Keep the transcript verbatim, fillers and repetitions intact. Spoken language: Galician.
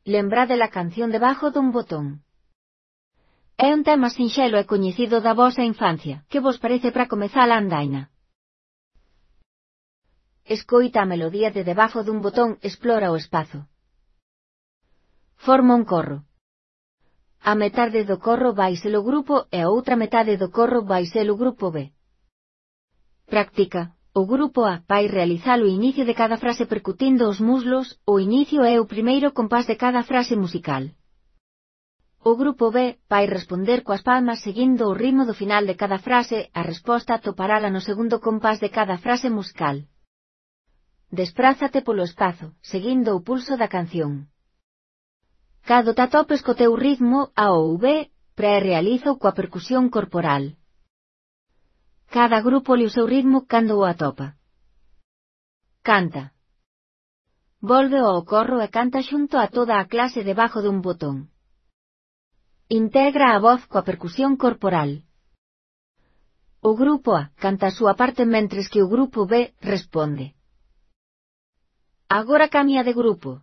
Lembrade la canción debajo dun botón. É un tema sinxelo e coñecido da vosa infancia. Que vos parece para comezar a andaina? Escoita a melodía de debajo dun botón, explora o espazo. Forma un corro. A metade do corro vai ser o grupo e a outra metade do corro vai ser o grupo B. Práctica. O grupo A vai realizar o inicio de cada frase percutindo os muslos. O inicio é o primeiro compás de cada frase musical. O grupo B vai responder coas palmas seguindo o ritmo do final de cada frase. A resposta atoparala no segundo compás de cada frase musical. Desprázate polo espazo, seguindo o pulso da canción. Cado te atopes co teu ritmo, A ou B, pre-realiza coa percusión corporal. Cada grupo lle o seu ritmo cando o atopa. Canta. Volve ao corro e canta xunto a toda a clase debajo dun botón. Integra a voz coa percusión corporal. O grupo A canta a súa parte mentres que o grupo B responde. Agora cambia de grupo.